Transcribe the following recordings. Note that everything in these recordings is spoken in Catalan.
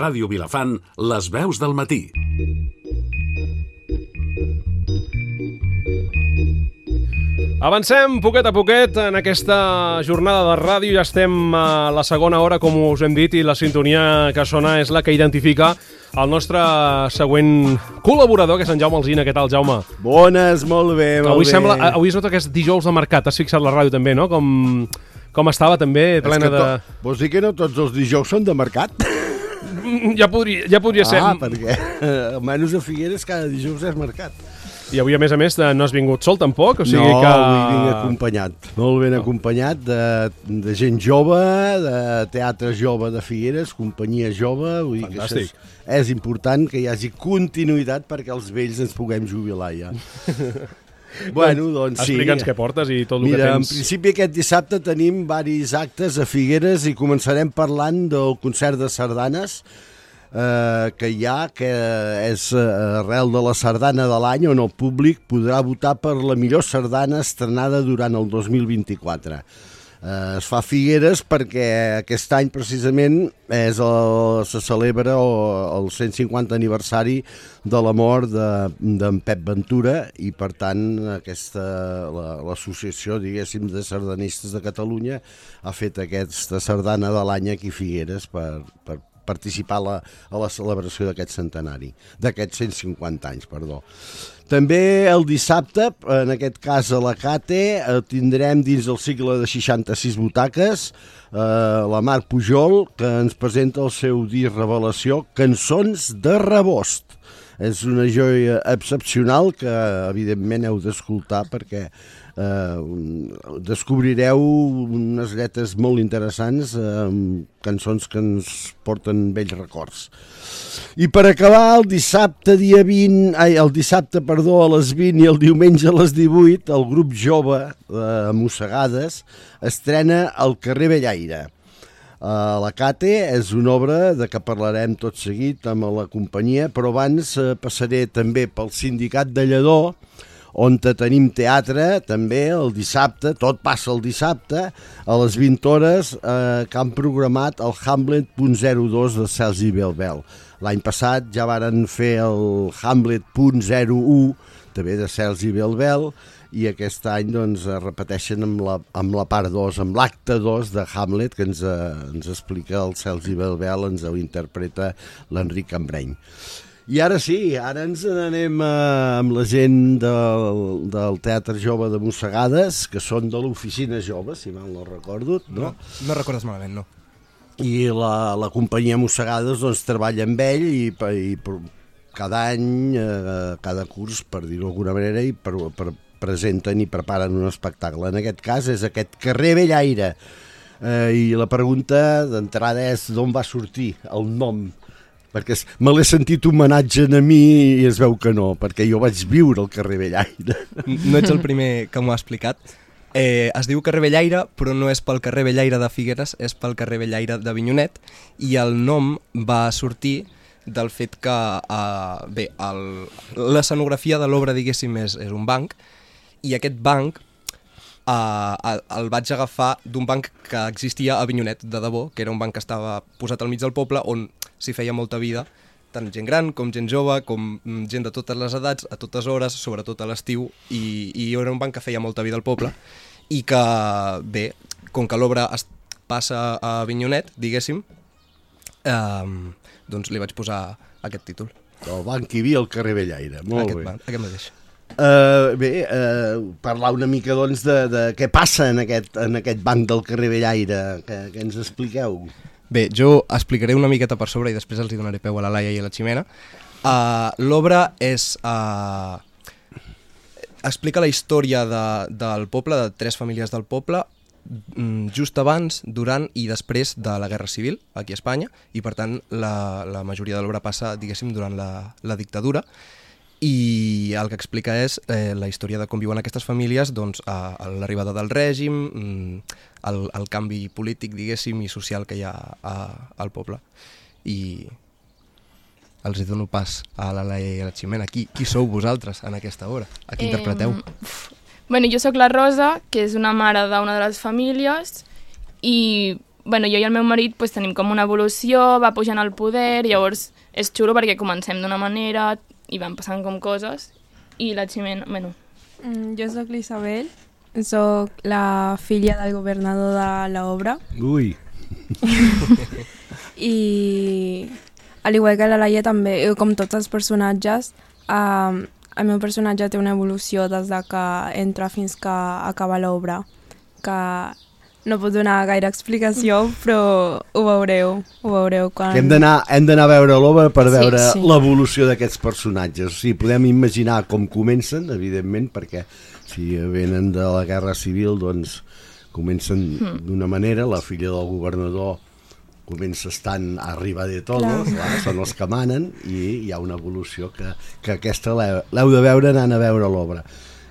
Ràdio Vilafant, les veus del matí. Avancem poquet a poquet en aquesta jornada de ràdio. Ja estem a la segona hora, com us hem dit, i la sintonia que sona és la que identifica el nostre següent col·laborador, que és en Jaume Alsina. Què tal, Jaume? Bones, molt bé, molt bé. Avui es nota que és dijous de mercat. Has fixat la ràdio també, no? Com estava també, plena de... Vols dir que no tots els dijous són de mercat? Ja podria ser. Perquè almenys a Figueres cada dijous és mercat. I avui, a més, no has vingut sol, tampoc? O sigui no, que... avui vinc acompanyat, molt ben acompanyat de gent jove, de teatre jove de Figueres, companyia jove. Vull dir fantàstic. Que és important que hi hagi continuïtat perquè els vells ens puguem jubilar ja. Bueno, doncs sí. Explica'ns què portes i tot el Mira, que tens. en principi aquest dissabte tenim varis actes a Figueres i començarem parlant del concert de sardanes que hi ha, que és arrel de la sardana de l'any, on el públic podrà votar per la millor sardana estrenada durant el 2024. Es fa a Figueres perquè aquest any precisament se celebra el 150 aniversari de la mort d'en Pep Ventura i per tant l'associació, diguéssim, de sardanistes de Catalunya ha fet aquesta sardana de l'any aquí a Figueres per participar a la celebració d'aquest centenari, d'aquests 150 anys, perdó. També el dissabte, en aquest cas a la Cate, tindrem dins del cicle de 66 butaques la Mar Pujol, que ens presenta el seu disc Revelació, Cançons de Rebost. És una joia excepcional que evidentment heu d'escoltar perquè descobrireu unes lletres molt interessants, cançons que ens porten vells records. I per acabar, el dissabte a les 20 i el diumenge a les 18, el grup jove de Mossegades estrena El carrer Bellaire. La Cate és una obra de què parlarem tot seguit amb la companyia, però abans passaré també pel Sindicat de Lledó, on tenim teatre també el dissabte, tot passa el dissabte, a les 20 hores, que han programat el Hamlet.02 de Sergi Belbel. L'any passat ja varen fer el Hamlet.01, també de Sergi Belbel, i aquest any doncs, repeteixen amb la part 2, amb l'acte 2 de Hamlet, que ens explica el Sergi Belbel, ens ho interpreta l'Enric Cambreny. I ara sí, ara ens n'anem amb la gent del Teatre Jove de Mossegades, que són de l'Oficina Jove, si mal no recordo. No recordes malament, no. I la companyia Mossegades doncs, treballa amb ell i cada any, cada curs, per dir-ho d'alguna manera, i presenten i preparen un espectacle. En aquest cas és aquest carrer Bellaire. I la pregunta d'entrada és d'on va sortir el nom? Perquè me l'he sentit homenatge a mi i es veu que no, perquè jo vaig viure al carrer Bellaire. No ets el primer que m'ho ha explicat. Es diu carrer Bellaire, però no és pel carrer Bellaire de Figueres, és pel carrer Bellaire d'Avinyonet, i el nom va sortir del fet que l'escenografia de l'obra, diguéssim, és un banc, i aquest banc el vaig agafar d'un banc que existia a Avinyonet, de debò, que era un banc que estava posat al mig del poble, on s'hi feia molta vida, tant gent gran com gent jove, com gent de totes les edats, a totes hores, sobretot a l'estiu, i era un banc que feia molta vida al poble, i que, bé, com que l'obra es passa a Avinyonet, diguéssim, doncs li vaig posar aquest títol. El banc hi havia al carrer Bellaire, molt bé. Aquest mateix. Parlar una mica doncs de què passa en aquest banc del carrer Bellaire, que ens expliqueu. Bé, jo explicaré una miqueta per sobre i després els donaré peu a la Laia i a la Ximena. L'obra explica la història del poble, de 3 famílies del poble, just abans, durant i després de la Guerra Civil aquí a Espanya, i per tant la majoria de l'obra passa, diguéssim, durant la dictadura, i el que explica és la història de com viuen aquestes famílies doncs, a l'arribada del règim, el canvi polític, diguéssim, i social que hi ha al poble. I els dono pas a la Laia i a la Ximena. Qui sou vosaltres en aquesta obra? A qui interpreteu? Bueno, jo sóc la Rosa, que és una mare d'una de les famílies, i bueno, jo i el meu marit pues, tenim com una evolució, va pujant al poder, llavors és xulo perquè comencem d'una manera i van passant com coses, i la Ximena, bueno... Jo sóc l'Isabel, sóc la filla del governador de l'obra. Ui! I al igual que la Laia també, com tots els personatges, el meu personatge té una evolució des de que entra fins que acaba l'obra, que no puc donar gaire explicació, però ho veureu quan... Hem d'anar a veure l'obra per veure sí. l'evolució d'aquests personatges. O sigui, podem imaginar com comencen, evidentment, perquè si venen de la Guerra Civil, doncs comencen d'una manera, la filla del governador comença estant arriba de todos, són els que manen, i hi ha una evolució que aquesta l'heu de veure anant a veure l'obra.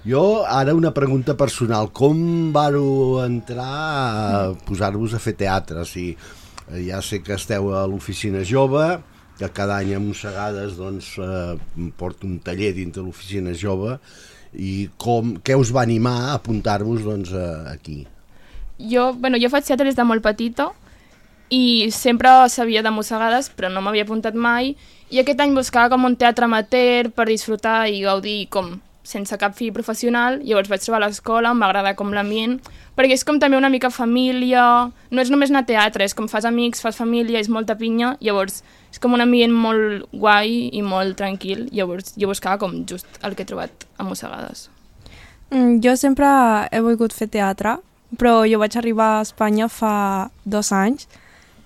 Jo, ara una pregunta personal. Com vareu entrar a posar-vos a fer teatre? O sigui, ja sé que esteu a l'Oficina Jove, que cada any a Mossegades doncs, porta un taller dintre l'Oficina Jove, i què us va animar a apuntar-vos doncs, aquí? Jo faig teatre des de molt petita i sempre sabia de Mossegades, però no m'havia apuntat mai, i aquest any buscava com un teatre amateur per disfrutar i gaudir com sense cap fi professional. Llavors vaig trobar l'escola, em va agradar com l'ambient, perquè és com també una mica família, no és només anar a teatre, és com fas amics, fas família, és molta pinya, llavors és com un ambient molt guai i molt tranquil, llavors jo buscava com just el que he trobat a Mossegades. Jo sempre he volgut fer teatre, però jo vaig arribar a Espanya fa 2 anys,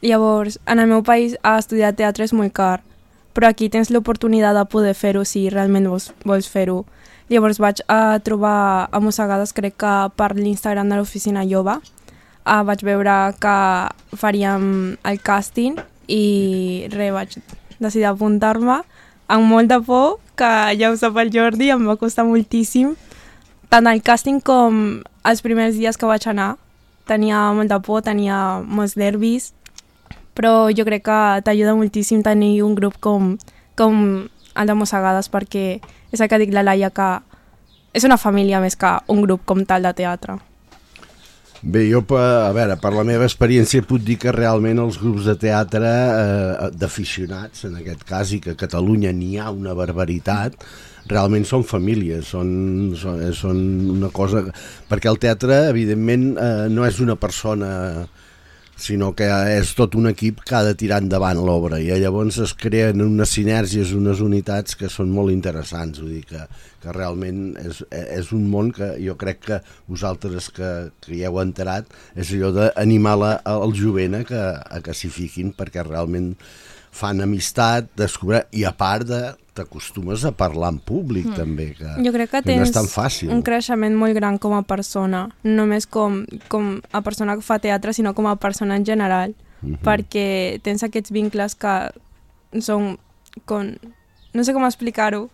llavors en el meu país estudiar teatre és molt car, però aquí tens l'oportunitat de poder fer-ho si realment vols fer-ho. Llavors vaig trobar a Mossegades, crec que per l'Instagram de l'Oficina Jove, vaig veure que faríem el càsting i vaig decidir apuntar-me amb molta por, que ja ho sap el Jordi, em va costar moltíssim. Tant el càsting com els primers dies que vaig anar, tenia molta por, tenia molts nervis, però jo crec que t'ajuda moltíssim tenir un grup com el de Mossegades, perquè és el que dic la Laia, que és una família més que un grup com tal de teatre. Bé, jo, a veure, per la meva experiència puc dir que realment els grups de teatre d'aficionats, en aquest cas, i que a Catalunya n'hi ha una barbaritat, realment són famílies, són una cosa... Perquè el teatre, evidentment, no és una persona, sinó que és tot un equip que ha de tirar endavant l'obra, i llavors es creen unes sinergies, unes unitats que són molt interessants. Vull dir que realment és un món que jo crec que vosaltres que hi heu entrat és allò d'animar el jovent a que s'hi fiquin, perquè realment fan amistat, descobrir, i a part t'acostumes a parlar en públic també, que jo crec que no és tens tan fàcil. Un creixement molt gran com a persona, no només com a persona que fa teatre, sinó com a persona en general, perquè tens aquests vincles que són no sé com explicar-ho,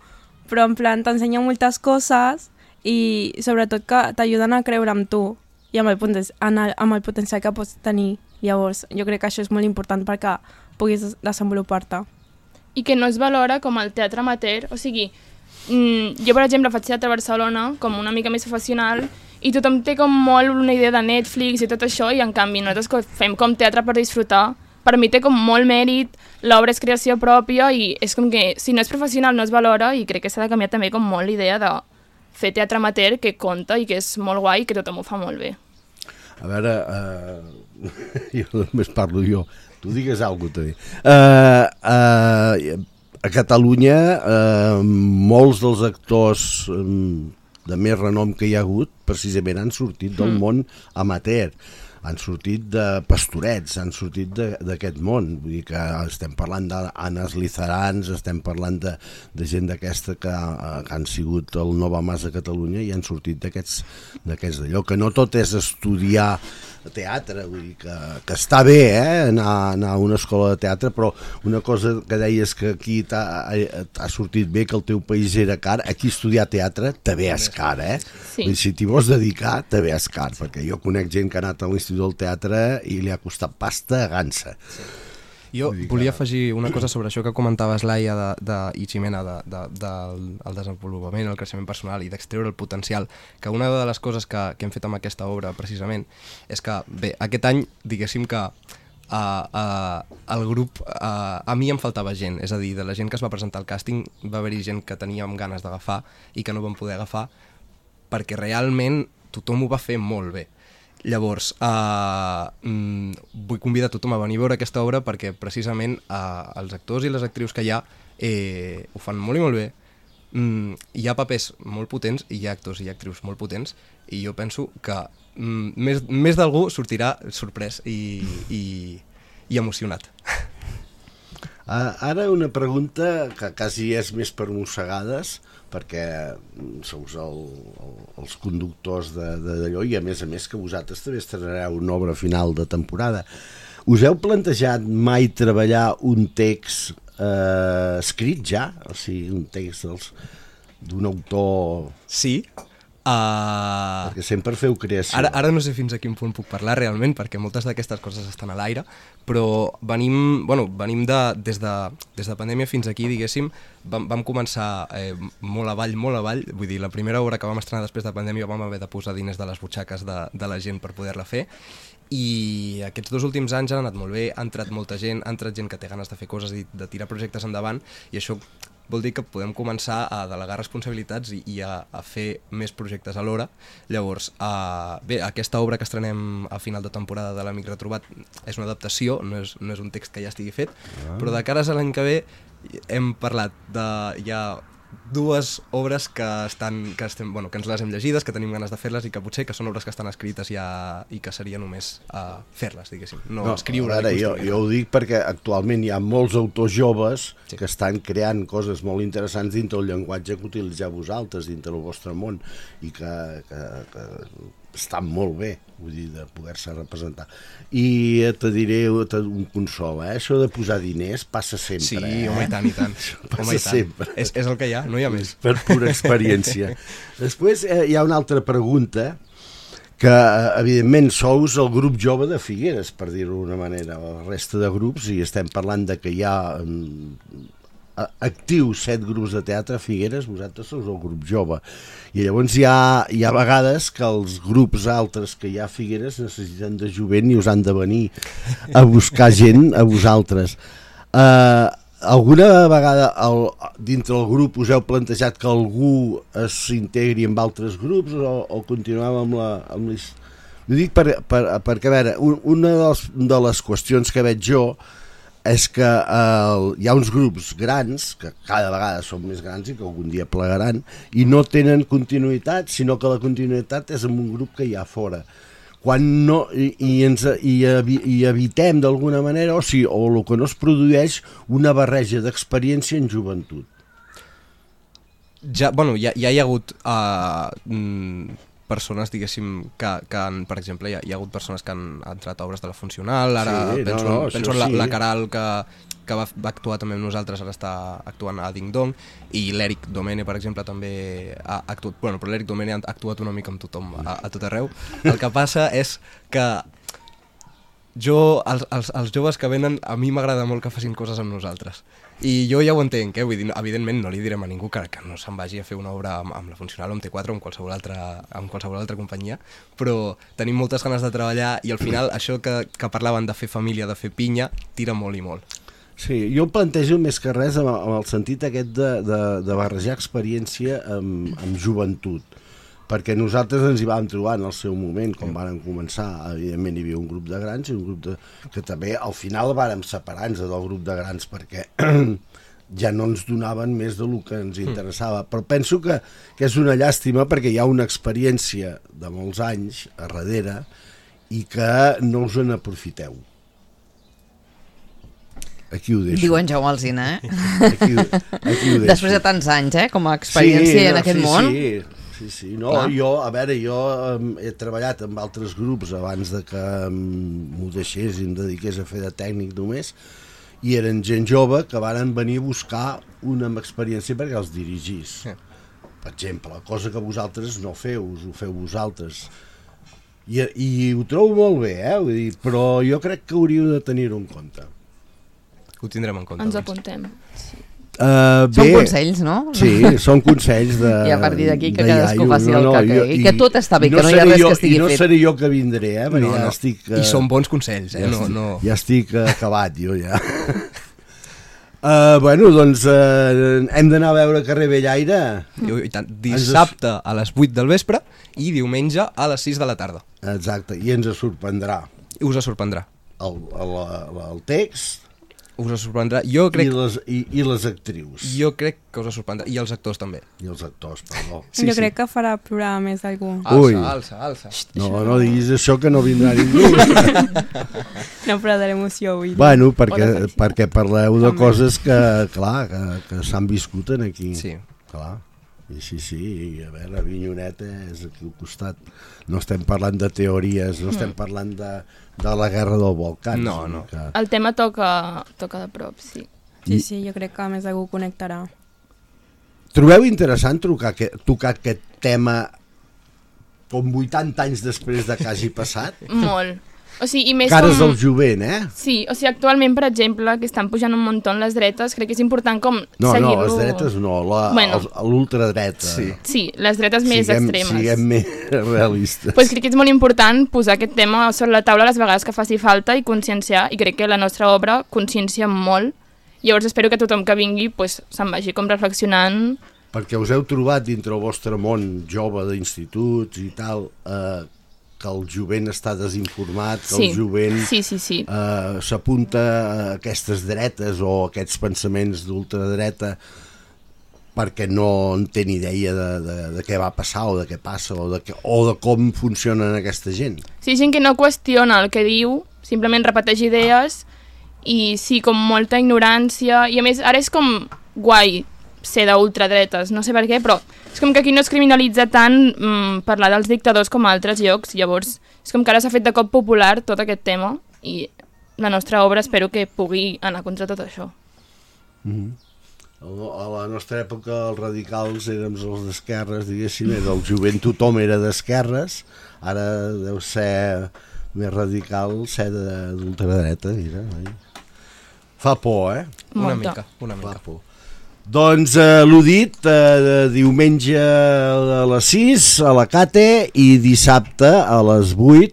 però en plan t'ensenyen moltes coses i sobretot que t'ajuden a creure en tu i amb el potencial que pots tenir. Llavors jo crec que això és molt important perquè puguis desenvolupar-te. I que no es valora com el teatre amateur, o sigui, jo per exemple faig teatre a Barcelona com una mica més professional i tothom té com molt una idea de Netflix i tot això, i en canvi nosaltres que fem com teatre per disfrutar, per mi té com molt mèrit, l'obra és creació pròpia i és com que si no és professional no es valora, i crec que s'ha de canviar també com molt l'idea de fer teatre amateur que compta i que és molt guai i que tothom ho fa molt bé. A veure, jo només parlo jo, tu digues alguna cosa també. A Catalunya molts dels actors de més renom que hi ha hagut precisament han sortit del món amateur, han sortit de pastorets, han sortit d'aquest món. Vull dir que estem parlant d'Anes Lizarans, estem parlant de gent d'aquesta que han sigut el Nova Mas a Catalunya i han sortit d'aquests d'allò, que no tot és estudiar teatre, vull dir que està bé anar a una escola de teatre, però una cosa que deies que aquí t'ha sortit bé, que el teu país era car, aquí estudiar teatre també és car, Sí. Vull dir, si t'hi vols dedicar també és car, perquè jo conec gent que ha anat a l'Institut del Teatre i li ha costat pasta a gansa. Jo volia afegir una cosa sobre això que comentaves, Laia, i Ximena, del desenvolupament, el creixement personal i d'extreure el potencial, que una de les coses que hem fet amb aquesta obra, precisament, és que, bé, aquest any, diguéssim que el grup, a mi em faltava gent, és a dir, de la gent que es va presentar al càsting va haver-hi gent que teníem ganes d'agafar i que no vam poder agafar perquè realment tothom ho va fer molt bé. Llavors, vull convidar tothom a venir a veure aquesta obra perquè precisament els actors i les actrius que hi ha ho fan molt i molt bé. Hi ha papers molt potents i hi ha actors i actrius molt potents i jo penso que més d'algú sortirà sorprès i emocionat. Ara una pregunta que quasi és més per mossegades, perquè sous els conductors d'allò i a més que vosaltres també estrenareu una obra final de temporada. Us heu plantejat mai treballar un text escrit ja? O sigui, un text d'un autor... Sí. Perquè sempre feu creació. Ara no sé fins a quin punt puc parlar realment, perquè moltes d'aquestes coses estan a l'aire, però venim des de pandèmia fins aquí, diguéssim, vam començar molt avall, vull dir, la primera obra que vam estrenar després de pandèmia vam haver de posar diners de les butxaques de la gent per poder-la fer, i aquests 2 últims anys han anat molt bé, ha entrat molta gent, ha entrat gent que té ganes de fer coses i de tirar projectes endavant, i això vol dir que podem començar a delegar responsabilitats i a fer més projectes alhora. Llavors, bé, aquesta obra que estrenem a final de temporada de l'Amic Retrobat és una adaptació, no és un text que ja estigui fet, però de cares a l'any que ve hem parlat hi ha 2 obres que ens les hem llegides, que tenim ganes de fer-les i que potser que són obres que estan escrites ja i que seria només fer-les, diguéssim, no escriure. Ara, jo ho dic perquè actualment hi ha molts autors joves que estan creant coses molt interessants dintre el llenguatge que utilitzeu vosaltres, dintre el vostre món, i que estan molt bé, vull dir, de poder-se representar. I te diré un consol, això de posar diners passa sempre. Sí, home, i tant. Passa sempre. És el que hi ha, no hi ha més. Per pura experiència. Després hi ha una altra pregunta, que evidentment sous el grup jove de Figueres, per dir-ho d'una manera, la resta de grups, i estem parlant de que hi ha actius 7 grups de teatre a Figueres, vosaltres sou el grup jove, i llavors hi ha vegades que els grups altres que hi ha a Figueres necessiten de jovent i us han de venir a buscar gent a vosaltres. Alguna vegada dintre el grup us heu plantejat que algú s'integri amb altres grups o continuem amb les... Ho dic perquè, a veure, una de les qüestions que veig jo és que hi ha uns grups grans, que cada vegada són més grans i que algun dia plegaran, i no tenen continuïtat, sinó que la continuïtat és en un grup que hi ha fora. Quan no, i evitem d'alguna manera, o el que no es produeix, una barreja d'experiència en joventut. Ja hi ha hagut persones, diguéssim, que per exemple, hi ha hagut persones que han entrat a obres de la Funcional, ara penso en la Caral que va actuar també amb nosaltres, ara està actuant a Ding Dong, i l'Eric Domene, per exemple, també ha actuat, però l'Eric Domene ha actuat una mica amb tothom, a tot arreu. El que passa és que els joves que venen, a mi m'agrada molt que facin coses amb nosaltres. I jo ja ho entenc, vull dir, evidentment no li direm a ningú que no se'n vagi a fer una obra amb la Funcional o amb T4 o amb qualsevol altra companyia, però tenim moltes ganes de treballar i al final això que parlaven de fer família, de fer pinya, tira molt i molt. Sí, jo em plantejo més que res amb el sentit aquest de barrejar experiència amb joventut, perquè nosaltres ens hi vam trobar en el seu moment, quan vàrem començar, evidentment hi havia un grup de grans i un grup que també al final vàrem separar-nos del grup de grans perquè ja no ens donaven més del que ens interessava, però penso que és una llàstima perquè hi ha una experiència de molts anys a darrere i que no us en aprofiteu. Aquí ho deixo. Diu en Jaume Alsina, Aquí ho deixo. Després de tants anys, com a experiència en aquest món. Sí. No, jo he treballat amb altres grups abans de que m'ho deixés i em dediqués a fer de tècnic només, i eren gent jove que varen venir a buscar una amb experiència perquè els dirigís. Per exemple, cosa que vosaltres no feu, ho feu vosaltres. I ho trobo molt bé, vull dir, però jo crec que hauríeu de tenir-ho en compte. Ho tindrem en compte. Ens doncs. apuntem. Són consells, no? Sí, són consells de... I a partir d'aquí que de cadascú iaio. faci el que cregui. I que tot està bé, que no hi ha seré res jo, que estigui I no fet. seré jo que vindré, perquè No, ja no. estic... I són bons consells, Ja estic acabat, jo ja. Bueno, doncs hem d'anar a veure Carrer Bellaire. I tant, dissabte a les 8 del vespre i diumenge a les 6 de la tarda. Exacte, i ens sorprendrà Us sorprendrà. el text Us sorprendrà. Jo crec, i les actrius. jo crec que us sorprendrà. I els actors també. I els actors, perdó. Jo crec que farà plorar més algú. Ui. Alça. No diguis això, que no vindrà ningú. No farà de l'emoció avui. Bueno, perquè parleu de coses que s'han viscut en aquí. Sí. Clar. I sí, i a veure, Avinyoneta és aquí al costat. No estem parlant de teories, no estem parlant de la guerra del Balcans. No. El tema toca de prop, sí. Sí, jo crec que a més algú connectarà. Trobeu interessant tocar aquest tema com 80 anys després de que hagi passat? Molt. O sigui, i més Cares com... del jovent, Sí, o sigui, actualment, per exemple, que estan pujant un muntó les dretes, crec que és important com seguir-lo... No, les dretes no, l'ultradreta. Sí, les dretes més extremes. Siguem més realistes. Pues crec que és molt important posar aquest tema sobre la taula les vegades que faci falta i conscienciar, i crec que la nostra obra consciencia molt. Llavors espero que tothom que vingui pues, se'n vagi com reflexionant. Perquè us heu trobat dintre el vostre món jove d'instituts i tal, que el jovent està desinformat, que el jovent s'apunta a aquestes dretes o a aquests pensaments d'ultradreta perquè no en té ni idea de què va passar o de què passa o de com funcionen aquesta gent. Sí, gent que no qüestiona el que diu, simplement repeteix idees i sí, com molta ignorància, i a més ara és com guai ser d'ultradretes, no sé per què, però és com que aquí no es criminalitza tant parlar dels dictadors com a altres llocs, llavors és com que ara s'ha fet de cop popular tot aquest tema i la nostra obra espero que pugui anar contra tot això. A la nostra època els radicals érem els d'esquerres, diguéssim, el jovent tothom era d'esquerres, ara deu ser més radical ser d'ultradreta, mira. Fa por, Una mica. Fa por. Doncs l'ho dit, diumenge a les 6 a la Cate i dissabte a les 8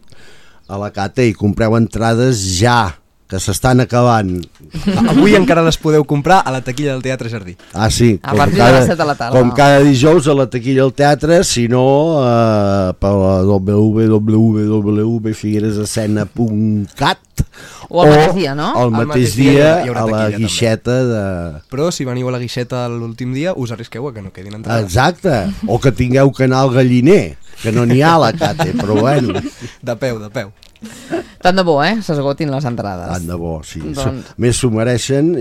a la Cate, i compreu entrades ja, que s'estan acabant. Avui encara les podeu comprar a la taquilla del Teatre Jardí. Ah, sí, a partir de les 7 de la tarda. Com cada dijous a la taquilla del teatre, si no per la www.figueresescena.cat o al mateix dia, no? El mateix dia a la guixeta de... Però si veniu a la guixeta l'últim dia us arrisqueu a que no quedin entrades. Exacte, o que tingueu que anar al galliner, que no n'hi ha a la Cate, però bueno. De peu. Tant de bo, s'esgotin les entrades. Tant de bo, sí. Doncs... Més s'ho mereixen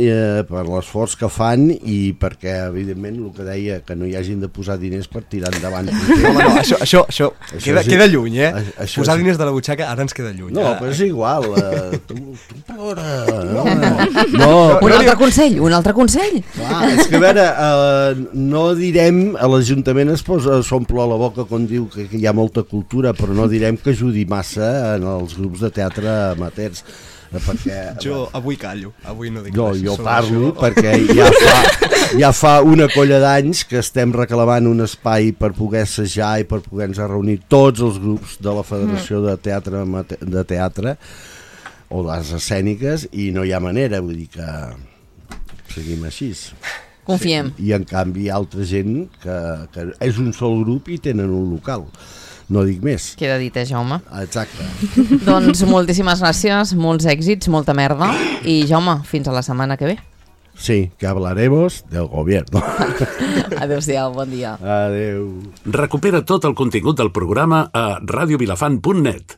per l'esforç que fan i perquè, evidentment, el que deia, que no hi hagin de posar diners per tirar endavant. No, això queda lluny, Posar sí. Diners de la butxaca ara ens queda lluny. No, però és igual. Tu plora. No. Un altre consell. Clar, és que a veure, no direm, a l'Ajuntament s'omple la boca quan diu que hi ha molta cultura, però no direm que ajudi massa en els grups de teatre amateurs, perquè... Jo avui callo, avui no dic res. Jo parlo perquè ja fa una colla d'anys que estem reclamant un espai per poder assajar i per poder-nos reunir tots els grups de la Federació de Teatre o de les escèniques, i no hi ha manera, vull dir que seguim així. Confiem. I en canvi hi ha altra gent que és un sol grup i tenen un local. No dic més. Queda dit, Jaume? Exacte. Doncs moltíssimes gràcies, molts èxits, molta merda, i Jaume, fins a la setmana que ve. Sí, que hablaremos del gobierno. Adéu-siau, bon dia. Adéu. Recupera tot el contingut del programa a radiovilafant.net.